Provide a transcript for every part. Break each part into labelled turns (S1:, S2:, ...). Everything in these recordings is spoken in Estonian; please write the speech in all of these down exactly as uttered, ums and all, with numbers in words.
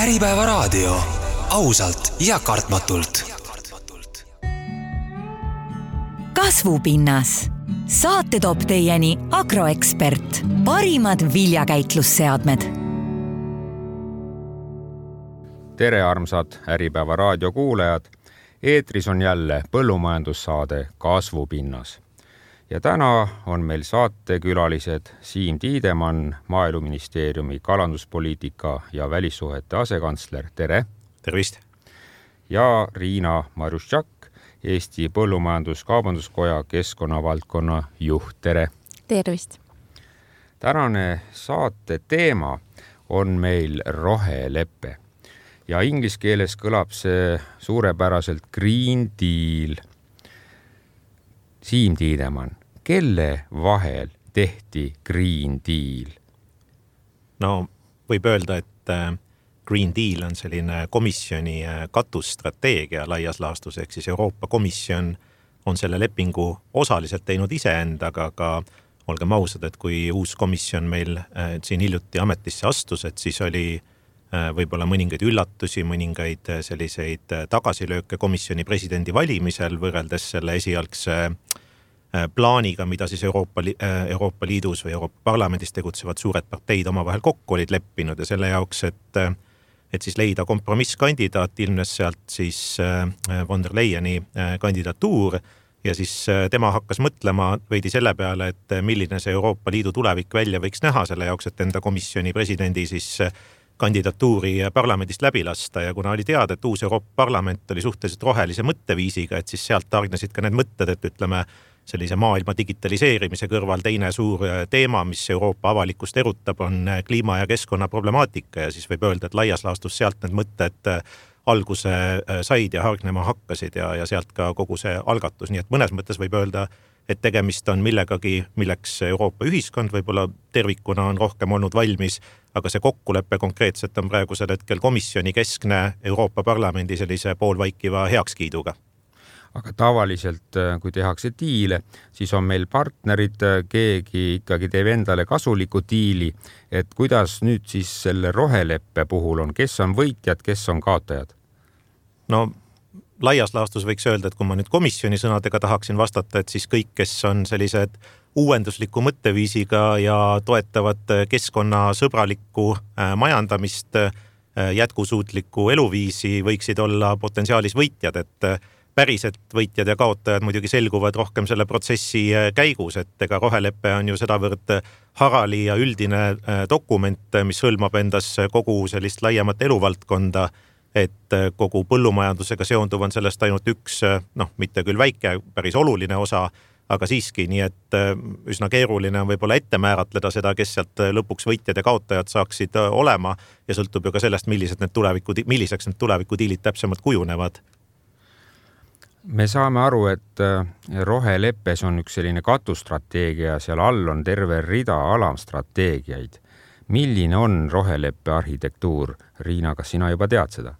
S1: Äripäeva raadio. Ausalt ja kartmatult.
S2: Kasvupinnas. Saate toob teieni Agroekspert. Parimad viljakäitlusseadmed.
S3: Tere armsad Äripäeva raadio kuulajad. Eetris on jälle põllumajandussaade Kasvupinnas. Ja täna on meil saatekülalised Siim Tiidemann, Maaeluministeeriumi kalanduspoliitika ja välissuhete asekantsler. Tere!
S4: Tervist!
S3: Ja Riina Marustšak, Eesti Põllumajandus-Kaubanduskoja keskkonnavaldkonna juht. Tere!
S5: Tervist!
S3: Tänane saate teema on meil rohelepe. Ja inglise keeles kõlab see suurepäraselt Green Deal. Siim Tiidemann, kelle vahel tehti Green Deal?
S4: No, võib öelda, et Green Deal on selline komisjoni katusstrateegia laias laastus, ehk siis Euroopa Komisjon on selle lepingu osaliselt teinud iseendaga, aga olgem ausad, et kui uus komisjon meil siin hiljuti ametisse astus, et siis oli võib-olla mõningaid üllatusi, mõningaid selliseid tagasilööke komisjoni presidendi valimisel võrreldes selle esialgse plaaniga, mida siis Euroopa, Euroopa Liidus või Euroopa Parlamendis tegutsevad suured parteid omavahel kokku olid leppinud ja selle jaoks, et, et siis leida kompromisskandidaat, ilmnes sealt siis von der Leyeni kandidatuur ja siis tema hakkas mõtlema veidi selle peale, et milline see Euroopa Liidu tulevik välja võiks näha selle jaoks, et enda komisjoni presidendi siis kandidatuuri parlamendist läbi lasta ja kuna oli teada, et uus Euroopa Parlament oli suhteliselt rohelise mõtteviisiga, et siis sealt targnesid ka need mõtted, et ütleme sellise maailma digitaliseerimise kõrval teine suur teema, mis Euroopa avalikkust erutab, on kliima- ja keskkonna problemaatika ja siis võib öelda, et laias laastus sealt need mõtted alguse said ja hargnema hakkasid ja, ja sealt ka kogu see algatus, nii et mõnes mõttes võib öelda, et tegemist on millegagi, milleks Euroopa ühiskond võib-olla tervikuna on rohkem olnud valmis, aga see kokkulepe konkreetselt on praegusel hetkel komisjoni keskne Euroopa Parlamendi sellise poolvaikiva heakskiiduga.
S3: Aga tavaliselt, kui tehakse diile, siis on meil partnerid, keegi ikkagi teeb endale kasuliku diili, et kuidas nüüd siis selle roheleppe puhul on, kes on võitjad, kes on kaotajad?
S4: No laias laastus võiks öelda, et kui ma nüüd komisjoni sõnadega tahaksin vastata, et siis kõik, kes on sellised uuendusliku mõtteviisiga ja toetavad keskkonnasõbralikku majandamist, jätkusuutlikku eluviisi võiksid olla potentsiaalis võitjad, et päriselt võitjad ja kaotajad muidugi selguvad rohkem selle protsessi käigus, et ega rohelepe on ju sedavõrd harali ja üldine dokument, mis hõlmab endas kogu sellist laiemat eluvaldkonda, et kogu põllumajandusega seonduv on sellest ainult üks, noh, mitte küll väike, päris oluline osa, aga siiski, nii et üsna keeruline on võib-olla ette määratleda seda, kes sealt lõpuks võitjad ja kaotajad saaksid olema ja sõltub ju ka sellest, millised need tuleviku, milliseks need tulevikudiilid täpsemalt kujunevad.
S3: Me saame aru, et roheleppes on üks selline katusstrateegia, seal all on terve rida alamstrateegiaid. Milline on roheleppe arhitektuur? Riina, kas sina juba tead seda?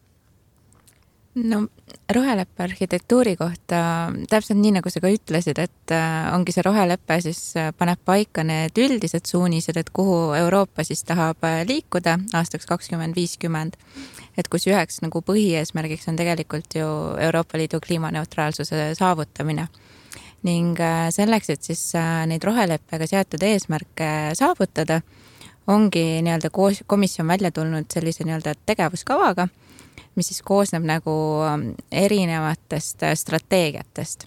S5: No roheleppe arhitektuuri kohta täpselt nii, nagu sa ka ütlesid, et ongi see roheleppe siis paneb paika need üldised suunised, et kuhu Euroopa siis tahab liikuda aastaks kakskümmend viiskümmend. Et kus üheks nagu põhieesmärgiks on tegelikult ju Euroopa Liidu kliimaneutraalsuse saavutamine. Ning selleks, et siis neid roheleppega seatud eesmärke saavutada, ongi nii-öelda komisjon välja tulnud sellise nii-öelda tegevuskavaga, mis siis koosneb nagu erinevatest strateegiatest.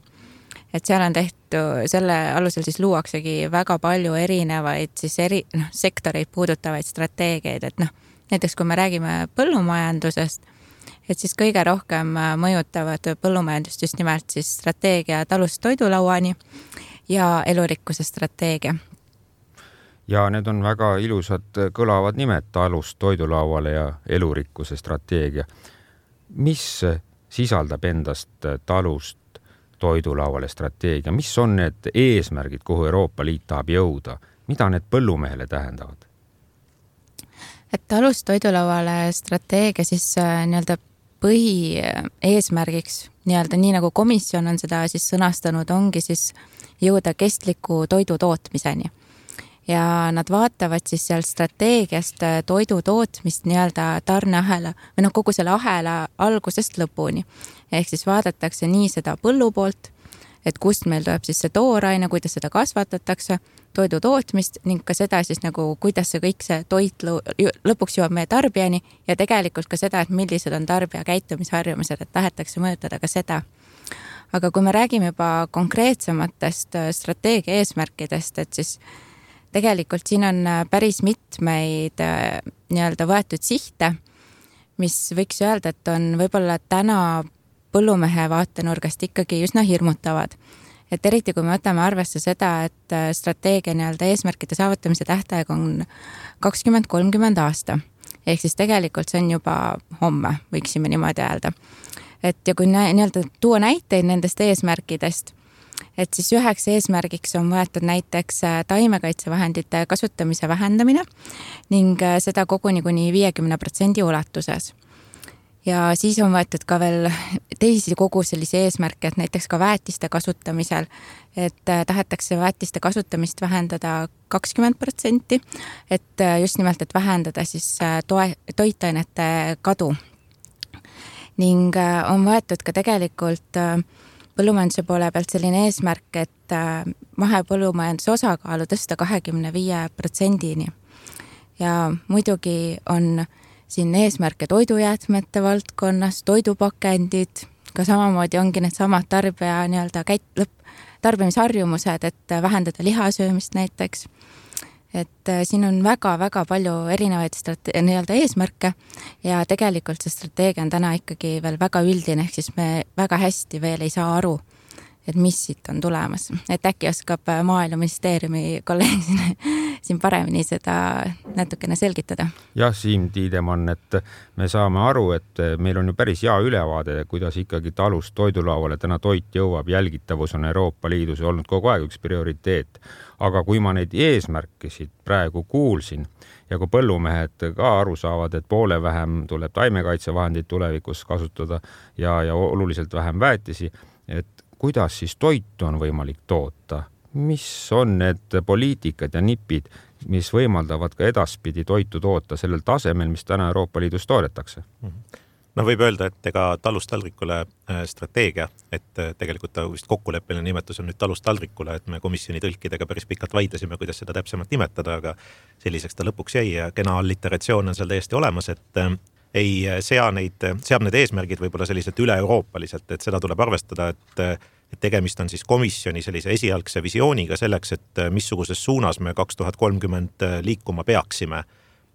S5: Et seal on tehtud, selle alusel siis luuaksegi väga palju erinevaid siis eri, noh, sektoreid puudutavaid strateegiaid, et noh, näiteks kui me räägime põllumajandusest, et siis kõige rohkem mõjutavad põllumajandust just nimelt siis strateegia talust toidulauani ja elurikkuse strateegia.
S3: Ja need on väga ilusad kõlavad nimed talust toidulauale ja elurikkuse strateegia. Mis sisaldab endast talust toidulauale strateegia? Mis on need eesmärgid, kuhu Euroopa Liit tahab jõuda? Mida need põllumehele tähendavad?
S5: Et talust toidulauale strateegia siis nii-öelda põhi eesmärgiks, nii-öelda nii nagu komisjon on seda siis sõnastanud, ongi siis jõuda kestliku toidu tootmiseni. ja nad vaatavad siis seal strateegiast toidu tootmist nii-öelda tarneahela või noh, kogu selle ahela algusest lõpuni. Ehk siis vaadatakse nii seda põllu poolt, et kust meil tuleb siis see tooraine, kuidas seda kasvatatakse, toidu tootmist ning ka seda siis nagu, kuidas see kõik see toit lõpuks jõuab meie tarbijani ja tegelikult ka seda, et millised on tarbija käitumisharjumused, et tahetakse mõjutada ka seda. Aga kui me räägime juba konkreetsematest strateegia eesmärkidest, et siis tegelikult siin on päris mitmeid nii-öelda võetud sihte, mis võiks öelda, et on võib-olla täna põllumehe vaatenurgast ikkagi üsna hirmutavad. Et eriti kui me võtame arvesse seda, et strateegia nii-öelda eesmärkide saavutamise tähtaeg on kakskümmend kolmkümmend aasta. Ehk siis tegelikult see on juba homme, võiksime niimoodi öelda. Et ja kui nii-öelda tuua näiteid nendest eesmärkidest, et siis üheks eesmärgiks on võetud näiteks taimekaitsevahendite kasutamise vähendamine ning seda koguni kuni viiekümne protsendi ulatuses. Ja siis on võetud ka veel teisi kogu sellise eesmärke, et näiteks ka väetiste kasutamisel, et tahetakse väetiste kasutamist vähendada kakskümmend protsenti, et just nimelt, et vähendada siis toe, toitainete kadu. Ning on võetud ka tegelikult põllumajanduse poole pealt selline eesmärk, et mahepõllumajanduse osakaalu tõsta kahekümne viie protsendini. Ja muidugi on siin eesmärke toidujäätmete valdkonnas, toidupakendid, ka samamoodi ongi need samad tarbija nii-öelda käit, lõpp, tarbimisharjumused, et vähendada lihasöömist näiteks. Et siin on väga-väga palju erinevaid strate- nii-öelda eesmärke ja tegelikult see strateegia on täna ikkagi veel väga üldine, ehk siis me väga hästi veel ei saa aru, et mis siit on tulemas. Et äkki oskab Maaeluministeeriumi kolleeg siin, siin paremini seda natukene selgitada.
S3: Jah, Siim Tiidemann, et me saame aru, et meil on ju päris hea ülevaade, kuidas ikkagi talust toidulauale täna toit jõuab. Jälgitavus on Euroopa Liidus olnud kogu aeg üks prioriteet. Aga kui ma neid eesmärkisid praegu kuulsin ja kui põllumehed ka aru saavad, et poole vähem tuleb taimekaitsevahendid tulevikus kasutada ja, ja oluliselt vähem väetisi, et kuidas siis toitu on võimalik toota? Mis on need poliitikad ja nipid, mis võimaldavad ka edaspidi toitu toota sellel tasemel, mis täna Euroopa Liidus toodetakse?
S4: No võib öelda, et ega talust taldrikule strateegia, et tegelikult ta vist kokkuleppeline nimetus on nüüd talust taldrikule, et me komisjoni tõlkidega päris pikalt vaidlesime, kuidas seda täpsemalt nimetada, aga selliseks ta lõpuks jäi ja kena alliteratsioon on seal täiesti olemas, et ei sea neid, seab need eesmärgid võib-olla selliselt üle-euroopaliselt, et seda tuleb arvestada, et, et tegemist on siis komisjoni sellise esialgse visiooniga selleks, et missuguses suunas me kaks tuhat kolmkümmend liikuma peaksime.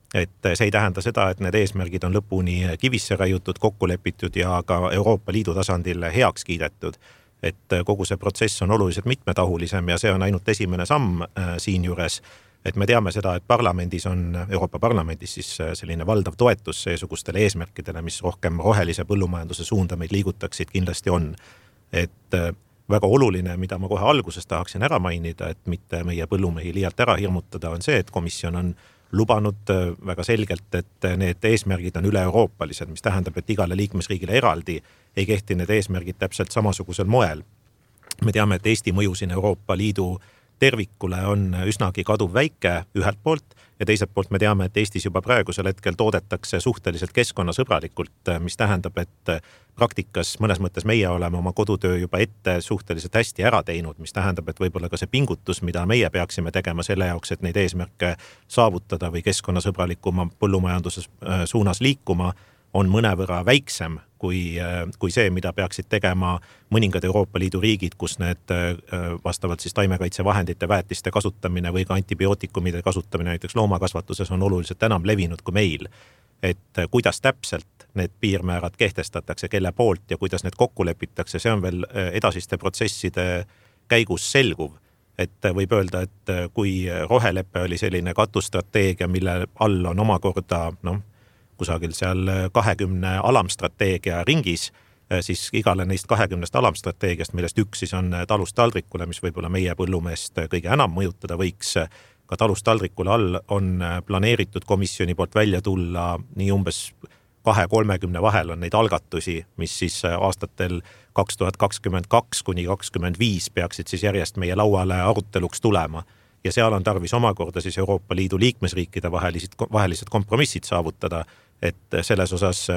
S4: Et see ei tähenda seda, et need eesmärgid on lõpuni kivisse raiutud, kokku lepitud ja ka Euroopa Liidu tasandil heaks kiidetud. Et kogu see protsess on oluliselt mitmetahulisem ja see on ainult esimene samm siin juures. Et me teame seda, et parlamendis on, Euroopa Parlamendis siis selline valdav toetus seesugustele eesmärkidele, mis rohkem rohelise põllumajanduse suunda meid liigutaksid kindlasti on. Et väga oluline, mida ma kohe alguses tahaksin ära mainida, et mitte meie põllumehi liialt ära hirmutada, on see, et komisjon on lubanud väga selgelt, et need eesmärgid on üle-euroopalised, mis tähendab, et igale liikmesriigile eraldi ei kehti need eesmärgid täpselt samasugusel moel. Me teame, et Eesti mõju siin Euroopa Liidu tervikule on üsnagi kaduv väike ühelt poolt ja teiselt poolt me teame, et Eestis juba praegusel hetkel toodetakse suhteliselt keskkonnasõbralikult, mis tähendab, et praktikas mõnes mõttes meie oleme oma kodutöö juba ette suhteliselt hästi ära teinud, mis tähendab, et võib-olla ka see pingutus, mida meie peaksime tegema selle jaoks, et neid eesmärke saavutada või keskkonnasõbralikuma põllumajanduse suunas liikuma, on mõnevõrra väiksem kui, kui see, mida peaksid tegema mõningad Euroopa Liidu riigid, kus need vastavalt siis taimekaitsevahendite väetiste kasutamine või ka antibiootikumide kasutamine näiteks loomakasvatuses on oluliselt enam levinud kui meil. Et kuidas täpselt need piirmäärad kehtestatakse, kelle poolt ja kuidas need kokku lepitakse, see on veel edasiste protsesside käigus selguv. Et võib öelda, et kui roheleppe oli selline katusstrateegia, mille all on omakorda, noh, kusagil seal kahekümne alamstrateegia ringis, siis igale neist kahekümnest alamstrateegiast, millest üks siis on talust taldrikule, mis võib-olla meie põllumeest kõige enam mõjutada võiks, ka talust taldrikule all on planeeritud komisjoni poolt välja tulla nii umbes kahe kolmekümne vahel on neid algatusi, mis siis aastatel kaks tuhat kakskümmend kaks kuni kakskümmend viis peaksid siis järjest meie lauale aruteluks tulema. ja seal on tarvis omakorda siis Euroopa Liidu liikmesriikide vahelised, vahelised kompromissid saavutada, et selles osas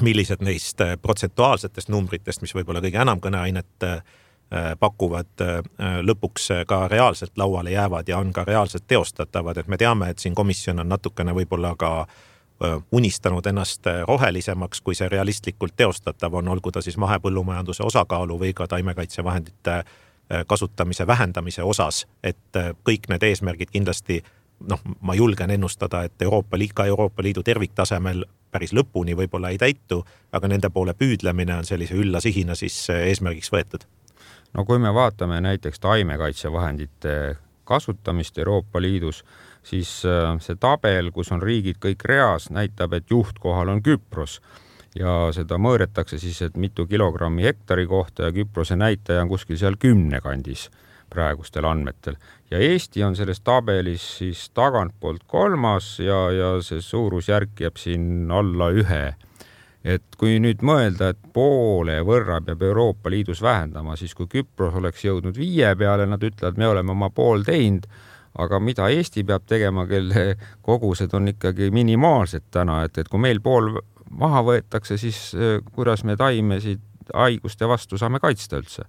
S4: millised neist protsentuaalsetest numbritest, mis võib-olla kõige enam kõneainet pakuvad, lõpuks ka reaalselt lauale jäävad ja on ka reaalselt teostatavad, et me teame, et siin komisjon on natukene võib-olla ka unistanud ennast rohelisemaks, kui see realistlikult teostatav on, olgu ta siis mahepõllumajanduse osakaalu või ka taimekaitsevahendite kasutamise vähendamise osas, et kõik need eesmärgid kindlasti, noh, ma julgen ennustada, et Euroopa Liidu, ka Euroopa Liidu terviktasemel päris lõpuni võib-olla ei täitu, aga nende poole püüdlemine on sellise ülla sihina siis eesmärgiks võetud.
S3: No kui me vaatame näiteks taimekaitsevahendite kasutamist Euroopa Liidus, siis see tabel, kus on riigid kõik reas, näitab, et juhtkohal on Küpros ja seda mõõretakse siis, et mitu kilogrammi hektari kohta ja Küprose näitaja on kuskil seal kümne kandis praegustel andmetel. Ja Eesti on selles tabelis siis tagantpoolt kolmas ja, ja see suurusjärk jääb siin alla ühe. Et kui nüüd mõelda, et poole võrra peab Euroopa Liidus vähendama, siis kui Küpros oleks jõudnud viie peale, nad ütlevad, me oleme oma pool teinud, aga mida Eesti peab tegema, kelle kogused on ikkagi minimaalsed täna, et, et kui meil pool maha võetakse, siis kuidas me taimesid haiguste vastu saame kaitsta üldse?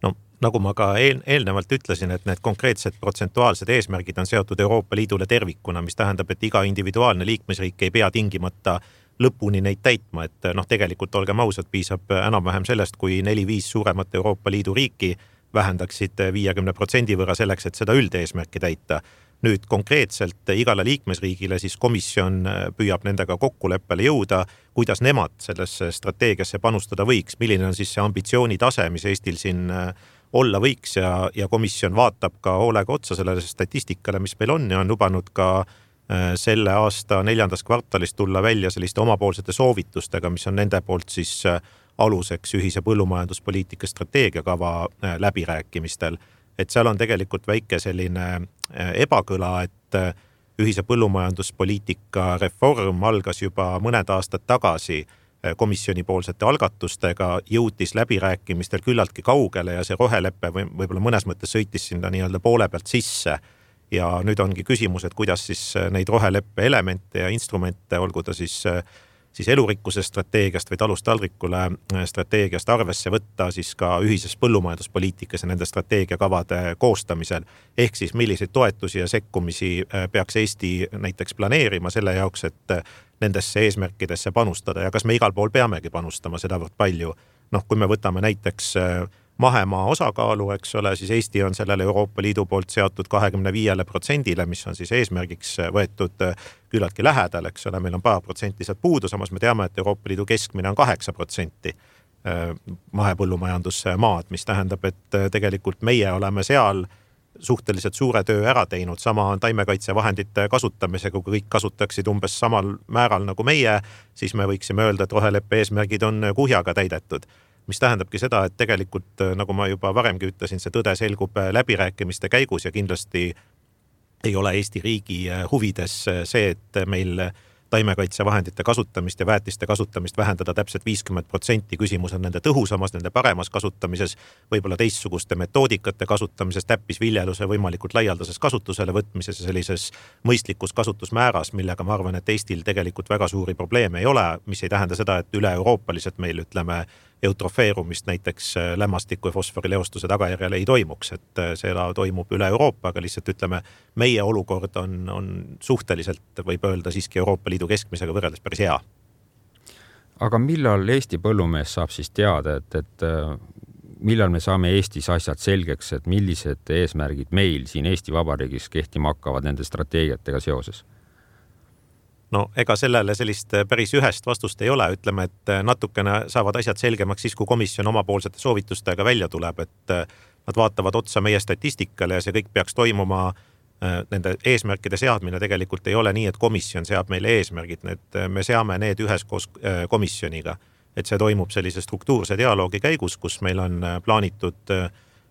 S4: No, nagu ma ka eel, eelnevalt ütlesin, et need konkreetsed protsentuaalsed eesmärgid on seotud Euroopa Liidule tervikuna, mis tähendab, et iga individuaalne liikmesriik ei pea tingimata lõpuni neid täitma, et noh, tegelikult olgem ausad, piisab enam-vähem sellest, kui neli-viis suuremat Euroopa Liidu riiki vähendaksid viiekümne protsendi võrra selleks, et seda üldeesmärki täita. Nüüd konkreetselt igale liikmesriigile siis komisjon püüab nendega kokkuleppele jõuda, kuidas nemad sellesse strateegiasse panustada võiks, milline on siis see ambitsioonitase, mis Eestil siin olla võiks ja, ja komisjon vaatab ka hoolega otsa sellele statistikale, mis meil on ja on lubanud ka selle aasta neljandas kvartalis tulla välja selliste omapoolsete soovitustega, mis on nende poolt siis aluseks ühise põllumajanduspoliitika strateegiakava läbirääkimistel. Et seal on tegelikult väike selline ebakõla, et ühise põllumajanduspoliitika reform algas juba mõned aastad tagasi komisjoni poolsete algatustega, jõutis läbirääkimistel küllaltki kaugele ja see roheleppe või võib-olla mõnes mõttes sõitis sinna nii-öelda poole pealt sisse. Ja nüüd ongi küsimus, et kuidas siis neid roheleppe elemente ja instrumente, olgu ta siis, siis elurikkuse strateegiast või talust taldrikule strateegiast arvesse võtta siis ka ühises põllumajanduspoliitikas ja nende strateegiakavade koostamisel. Ehk siis milliseid toetusi ja sekkumisi peaks Eesti näiteks planeerima selle jaoks, et nendesse eesmärkidesse panustada ja kas me igal pool peamegi panustama sedavõrd palju. Noh, kui me võtame näiteks mahemaa osakaalu, eks ole, siis Eesti on sellele Euroopa Liidu poolt seatud kahekümne viiele protsendile, mis on siis eesmärgiks võetud küllaltki lähedal, eks ole, meil on paar protsenti sealt puudu, samas me teame, et Euroopa Liidu keskmine on kaheksa protsenti mahepõllumajandusmaad, mis tähendab, et tegelikult meie oleme seal suhteliselt suure töö ära teinud, sama on taimekaitsevahendite kasutamisega, kui kõik kasutaksid umbes samal määral nagu meie, siis me võiksime öelda, et roheleppe eesmärgid on kuhjaga täidetud. Mis tähendabki seda, et tegelikult, nagu ma juba varemgi ütlesin, see tõde selgub läbirääkimiste käigus ja kindlasti ei ole Eesti riigi huvides see, et meil taimekaitsevahendite kasutamist ja väetiste kasutamist vähendada täpselt viiskümmend protsenti. Küsimus on nende tõhusamas, nende paremas kasutamises, võib-olla teistsuguste metoodikate kasutamises, täppisviljeluse võimalikult laialdases kasutusele võtmises ja sellises mõistlikus kasutusmääras, millega ma arvan, et Eestil tegelikult väga suuri probleeme ei ole, mis ei tähenda seda, et üle euroopaliselt meil ütleme eutrofeerumist näiteks lämmastiku ja fosforileostuse tagajärjel ei toimuks, et seda toimub üle Euroopa, aga lihtsalt ütleme, meie olukord on, on suhteliselt, võib öelda siiski Euroopa Liidu keskmisega võrreldes päris hea.
S3: Aga millal Eesti põllumees saab siis teada, et, et millal me saame Eestis asjad selgeks, et millised eesmärgid meil siin Eesti Vabariigis kehtima hakkavad nende strateegiatega seoses?
S4: No ega sellele sellist päris ühest vastust ei ole, ütleme, et natukene saavad asjad selgemaks siis, kui komisjon omapoolsete soovitustega välja tuleb, et nad vaatavad otsa meie statistikale ja see kõik peaks toimuma, nende eesmärkide seadmine tegelikult ei ole nii, et komisjon seab meile eesmärgid, need, me seame need üheskoos komisjoniga, et see toimub sellise struktuurse dialoogi käigus, kus meil on plaanitud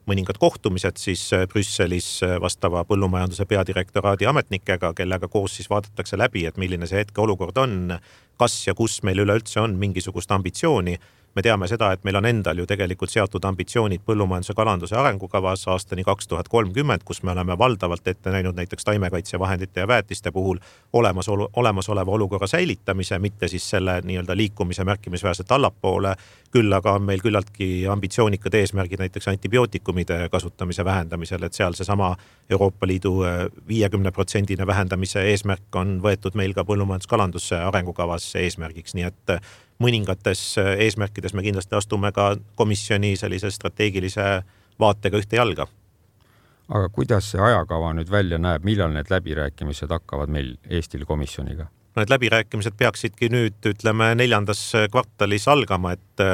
S4: mõningad kohtumised siis Brüsselis vastava põllumajanduse peadirektoraadi ametnikega, kellega koos siis vaadatakse läbi, et milline see hetke olukord on, kas ja kus meil üleüldse on mingisugust ambitsiooni. me teame seda, et meil on endal ju tegelikult seatud ambitsioonid põllumajanduse kalanduse arengukavas aastani kaks tuhat kolmkümmend, kus me oleme valdavalt ette näinud näiteks taimekaitsevahendite ja väetiste puhul olemas, olemasoleva olukorra säilitamise, mitte siis selle nii-öelda liikumise märkimisväärselt allapoole, küll aga on meil küllaltki ambitsioonikad eesmärgid näiteks antibiootikumide kasutamise vähendamisel, et seal seesama Euroopa Liidu viiekümne protsendine vähendamise eesmärk on võetud meil ka põllumajanduskalanduse arengukavas eesmärgiks, nii et mõningates eesmärkides me kindlasti astume ka komisjoni sellise strateegilise vaatega ühte jalga.
S3: Aga kuidas see ajakava nüüd välja näeb, millal need läbirääkimised hakkavad meil Eestil komisjoniga?
S4: Need läbirääkimised peaksidki nüüd, ütleme, neljandas kvartalis algama, et,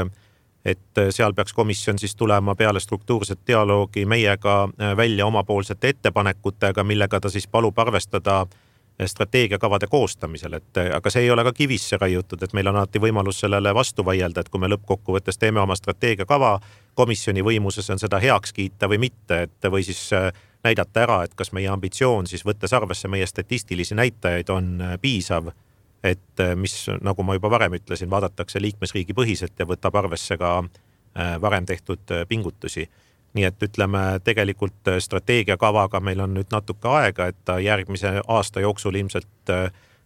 S4: et seal peaks komisjon siis tulema peale struktuurset dialoogi meiega välja omapoolsete ettepanekutega, millega ta siis palub arvestada strateegiakavade koostamisel, et aga see ei ole ka kivisse raiutud, et meil on alati võimalus sellele vastu vaielda, et kui me lõppkokkuvõttes teeme oma strateegiakava, komisjoni võimuses on seda heaks kiita või mitte, et või siis näidata ära, et kas meie ambitsioon siis võttes arvesse meie statistilisi näitajaid on piisav, et mis, nagu ma juba varem ütlesin, vaadatakse liikmesriigi põhiselt ja võtab arvesse ka varem tehtud pingutusi. Nii et ütleme, tegelikult strateegiakavaga meil on nüüd natuke aega, et ta järgmise aasta jooksul ilmselt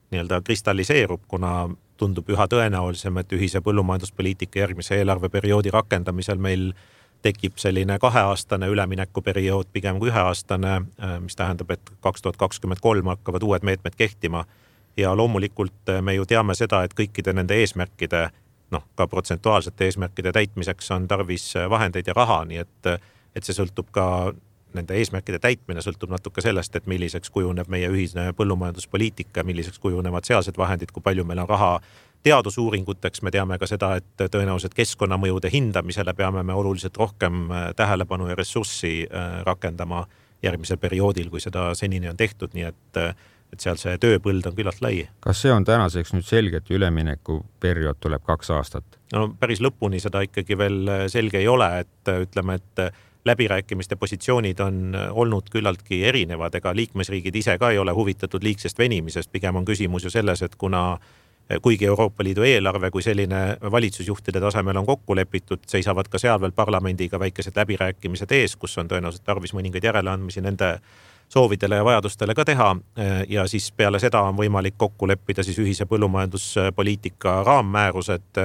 S4: nii-öelda kristalliseerub, kuna tundub üha tõenäolisem, et ühise põllumajanduspoliitika järgmise eelarveperioodi rakendamisel meil tekib selline kaheaastane üleminekuperiood pigem kui üheaastane, mis tähendab, et kaks tuhat kakskümmend kolm hakkavad uued meetmed kehtima. Ja loomulikult me ju teame seda, et kõikide nende eesmärkide, noh, ka protsentuaalsete eesmärkide täitmiseks on tarvis vahendeid ja raha, nii et et see sõltub ka, nende eesmärkide täitmine sõltub natuke sellest, et milliseks kujuneb meie ühine põllumajanduspoliitika, milliseks kujunevad sealsed vahendid, kui palju meil on raha teadusuuringuteks. Me teame ka seda, et tõenäoliselt keskkonnamõjude hindamisele peame me oluliselt rohkem tähelepanu ja ressurssi rakendama järgmisel perioodil, kui seda senini on tehtud, nii et et seal see tööpõld on küllalt lai.
S3: Kas see on tänaseks nüüd selge, et ülemineku periood tuleb kaks aastat?
S4: No päris lõpuni seda ikkagi veel selge ei ole, et ütleme, et läbirääkimiste positsioonid on olnud küllaltki erinevad, ega liikmesriigid ise ka ei ole huvitatud liigsest venimisest, pigem on küsimus ju selles, et kuna kuigi Euroopa Liidu eelarve kui selline valitsusjuhtide tasemel on kokku lepitud, seisavad ka seal veel parlamendiga väikesed läbirääkimised ees, kus on tõenäoliselt tarvis mõningaid järeleandmisi nende soovidele ja vajadustele ka teha ja siis peale seda on võimalik kokku leppida siis ühise põllumajanduspoliitika raammäärused,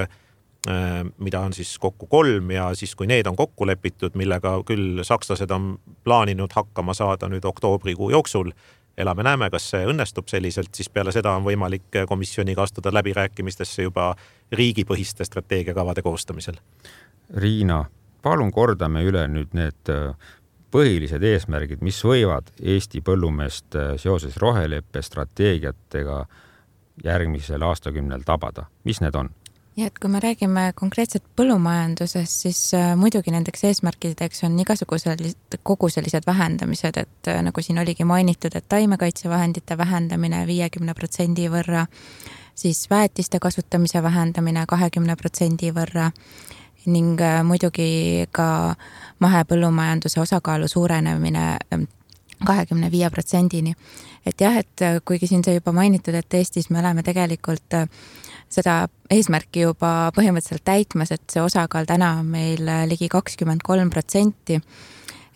S4: mida on siis kokku kolm ja siis kui need on kokku lepitud, millega küll sakslased on plaaninud hakkama saada nüüd oktoobrikuu jooksul, elame näeme, kas see õnnestub selliselt, siis peale seda on võimalik komisjoniga astuda läbirääkimistesse juba riigipõhiste strateegiakavade koostamisel.
S3: Riina, palun kordame üle nüüd need põhilised eesmärgid, mis võivad Eesti põllumeest seoses roheleppe strateegiatega järgmisel aastakümnel tabada. Mis need on?
S5: Ja et kui me räägime konkreetselt põllumajandusest, siis muidugi nendeks eesmärkideks on igasugused kogu sellised vähendamised, et nagu siin oligi mainitud, et taimekaitsevahendite vähendamine viiekümne protsendi võrra, siis väetiste kasutamise vähendamine kahekümne protsendi võrra ning muidugi ka mahepõllumajanduse osakaalu suurenemine kahekümne viie protsendini. Et jah, et kuigi siin see juba mainitud, et Eestis me oleme tegelikult seda eesmärki juba põhimõtteliselt täitmas, et see osakaal täna on meil ligi kakskümmend kolm protsenti,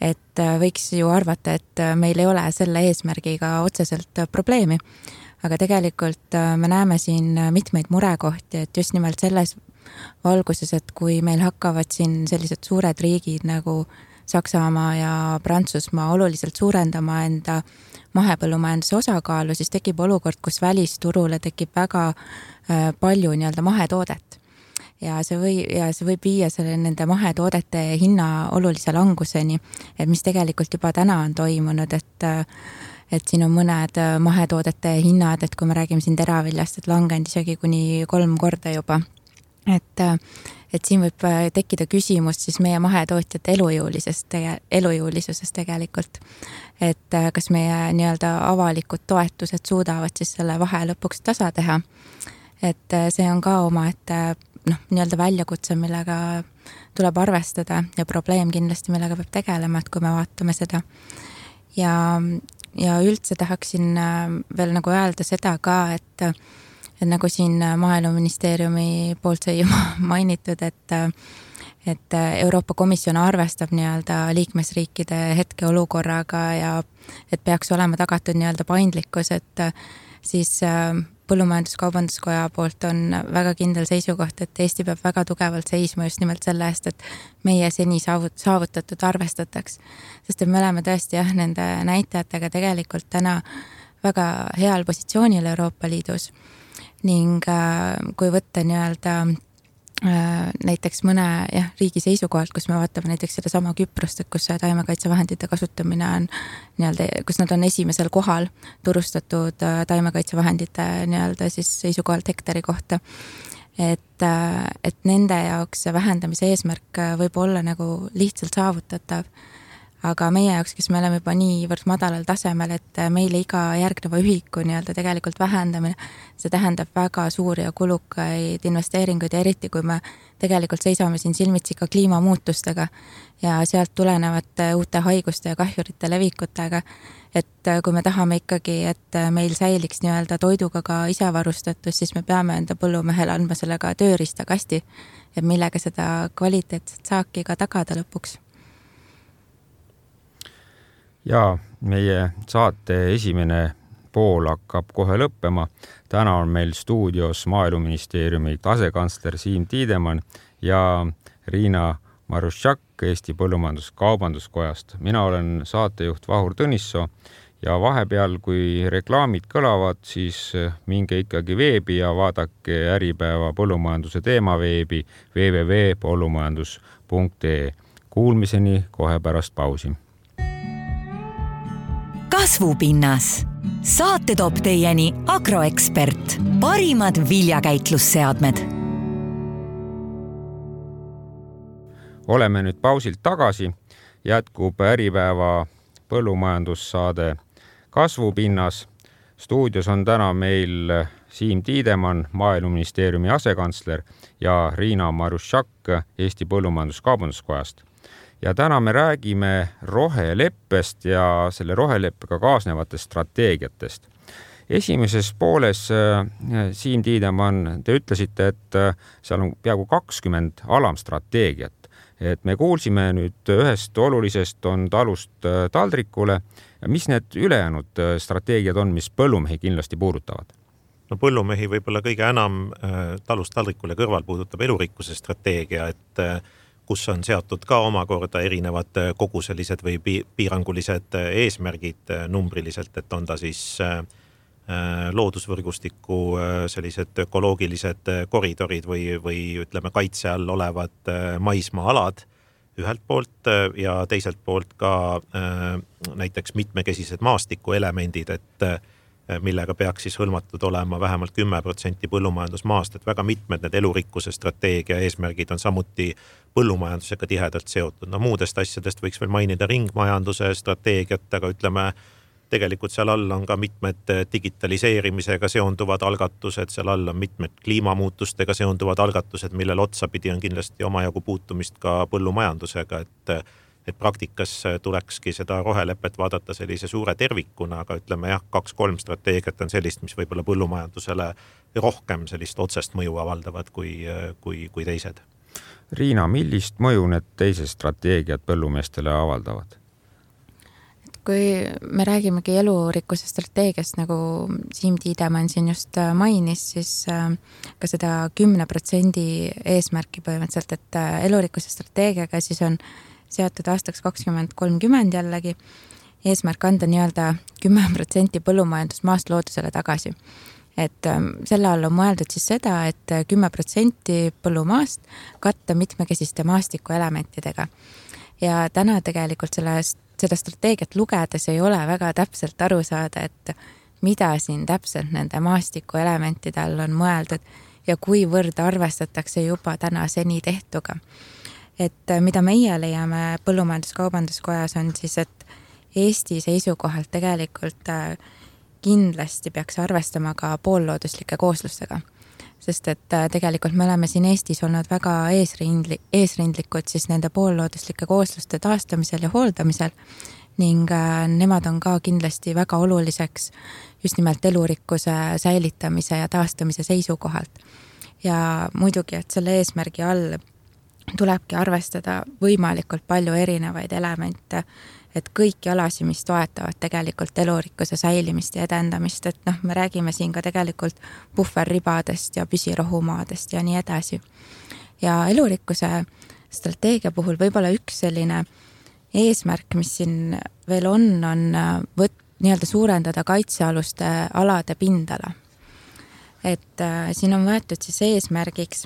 S5: et võiks ju arvata, et meil ei ole selle eesmärgiga otseselt probleemi. Aga tegelikult me näeme siin mitmeid murekohti, et just nimelt selles valguses, et kui meil hakkavad siin sellised suured riigid nagu Saksamaa ja Prantsusmaa oluliselt suurendama enda mahepõllumajanduse osakaalu, siis tekib olukord, kus välisturule tekib väga palju nii-öelda mahetoodet. Ja see, või, ja see võib viia selle nende mahetoodete hinna olulise languseni, et mis tegelikult juba täna on toimunud, et et siin on mõned mahetoodete hinnad, et kui me räägime siin teraviljast, et langenud isegi kuni kolm korda juba. Et, et siin võib tekkida küsimus siis meie mahetootjate elujõulisest, elujõulisusest tegelikult. Et kas meie nii-öelda avalikud toetused suudavad siis selle vahe lõpuks tasa teha. Et see on ka oma, et noh, nii-öelda väljakutse, millega tuleb arvestada ja probleem kindlasti, millega peab tegelema, et kui me vaatame seda. Ja, ja üldse tahaksin veel nagu öelda seda ka, et et nagu siin Maaeluministeeriumi poolt sai juba mainitud, et et Euroopa Komisjon arvestab nii-öelda liikmesriikide hetkeolukorraga ja et peaks olema tagatud nii-öelda paindlikkus, et siis Põllumajandus-Kaubanduskoja poolt on väga kindel seisukoht, et Eesti peab väga tugevalt seisma just nimelt selle eest, et meie seni saavutatud arvestataks. Sest et me oleme tõesti jah, nende näitajatega tegelikult täna väga heal positsioonil Euroopa Liidus. Ning kui võtta nii-öelda näiteks mõne jah, riigi seisukohalt, kus me vaatame näiteks seda sama Küprost, et kus taimekaitsevahendite kasutamine on nii-öelda, kus nad on esimesel kohal turustatud taimekaitsevahendite nii-öelda siis seisukohalt hektari kohta. Et, et nende jaoks vähendamise eesmärk võib olla nagu lihtsalt saavutatav. Aga meie jaoks, kes me oleme juba niivõrd madalal tasemel, et meile iga järgneva ühiku nii-öelda tegelikult vähendamine, see tähendab väga suuri ja kulukaid investeeringuid ja eriti, kui me tegelikult seisame siin silmitsi ka kliimamuutustega ja sealt tulenevate uute haiguste ja kahjurite levikutega, et kui me tahame ikkagi, et meil säiliks nii-öelda toiduga ka isevarustatus, siis me peame enda põllumehele andma sellega tööriistakasti, et millega seda kvaliteetset saaki ka tagada lõpuks.
S3: Ja meie saate esimene pool hakkab kohe lõppema. Täna on meil stuudios Maaeluministeeriumi asekantsler Siim Tiidemann ja Riina Maruščak Eesti Põllumajandus-Kaubanduskojast. Mina olen saatejuht Vahur Tõnissoo ja vahepeal, kui reklaamid kõlavad, siis minge ikkagi veebi ja vaadake Äripäeva põllumajanduse teema veebi w w w punkt põllumajandus punkt e e. Kuulmiseni kohe pärast pausi.
S2: Kasvupinnas. Saate toob teieni Agroekspert. Parimad viljakäitlusseadmed.
S3: Oleme nüüd pausilt tagasi. Jätkub Äripäeva põllumajandussaade Kasvupinnas. Stuudios on täna meil Siim Tiidemann, Maaeluministeeriumi asekantsler ja Riina Maruščak Eesti Põllumajandus-Kaubanduskojast. Ja täna me räägime roheleppest ja selle roheleppega kaasnevatest strateegiatest. Esimeses pooles, Siim Tiidemann, te ütlesite, et seal on peaaegu kakskümmend alamstrateegiat. Et me kuulsime nüüd ühest olulisest on talust taldrikule. Mis need ülejäänud strateegiad on, mis põllumehi kindlasti puudutavad?
S4: No põllumehi võib-olla kõige enam talust taldrikule kõrval puudutab elurikkuse strateegia, et kus on seatud ka omakorda erinevad koguselised või piirangulised eesmärgid numbriliselt, et on ta siis loodusvõrgustiku sellised ökoloogilised koridorid või, või ütleme kaitse all olevad maismaa-alad ühelt poolt ja teiselt poolt ka näiteks mitmekesised maastikuelemendid, et millega peaks siis hõlmatud olema vähemalt kümme protsenti põllumajandusmaast, et väga mitmed need elurikkuse strateegia eesmärgid on samuti põllumajandusega tihedalt seotud. No muudest asjadest võiks veel mainida ringmajanduse strateegiat, aga ütleme, tegelikult seal all on ka mitmed digitaliseerimisega seonduvad algatused, seal all on mitmed kliimamuutustega seonduvad algatused, millel otsapidi on kindlasti omajagu puutumist ka põllumajandusega, et et praktikas tulekski seda rohelepet vaadata sellise suure tervikuna, aga ütleme jah, kaks-kolm strateegiat on sellist, mis võib-olla põllumajandusele rohkem sellist otsest mõju avaldavad kui, kui, kui teised.
S3: Riina, millist mõju need teised strateegiad põllumeestele avaldavad?
S5: Kui me räägimegi elurikkuse strateegiast, nagu Siim Tiidemann siin just mainis, siis ka seda kümne protsendi eesmärki põhimõtteliselt, et elurikkuse strateegiaga siis on seatud aastaks kakskümmend kolmkümmend jällegi eesmärk anda nii-öelda kümme protsenti põllumajandusmaast loodusele tagasi. Et selle all on mõeldud siis seda, et kümme protsenti põllumaast katta mitmekesiste maastikuelementidega. Ja täna tegelikult sellest, seda strateegiat lugedes ei ole väga täpselt aru saada, et mida siin täpselt nende maastikuelementide all on mõeldud ja kuivõrd arvestatakse juba täna seni tehtuga. Et mida meie leiame Põllumajandus-Kaubanduskojas on siis, et Eesti seisukohalt tegelikult kindlasti peaks arvestama ka poollooduslike kooslustega. Sest et tegelikult me oleme siin Eestis olnud väga eesrindli, eesrindlikud siis nende poollooduslike koosluste taastamisel ja hooldamisel ning nemad on ka kindlasti väga oluliseks just nimelt elurikkuse säilitamise ja taastamise seisukohalt. Ja muidugi, et selle eesmärgi all tulebki arvestada võimalikult palju erinevaid elemente, et kõiki alasi, mis toetavad tegelikult elurikkuse säilimist ja edendamist, et noh, me räägime siin ka tegelikult puhverribadest ja püsirohumaadest ja nii edasi. Ja elurikkuse strateegia puhul võib-olla üks selline eesmärk, mis siin veel on, on võt, nii-öelda suurendada kaitsealuste alade pindala. Et äh, siin on võetud siis eesmärgiks,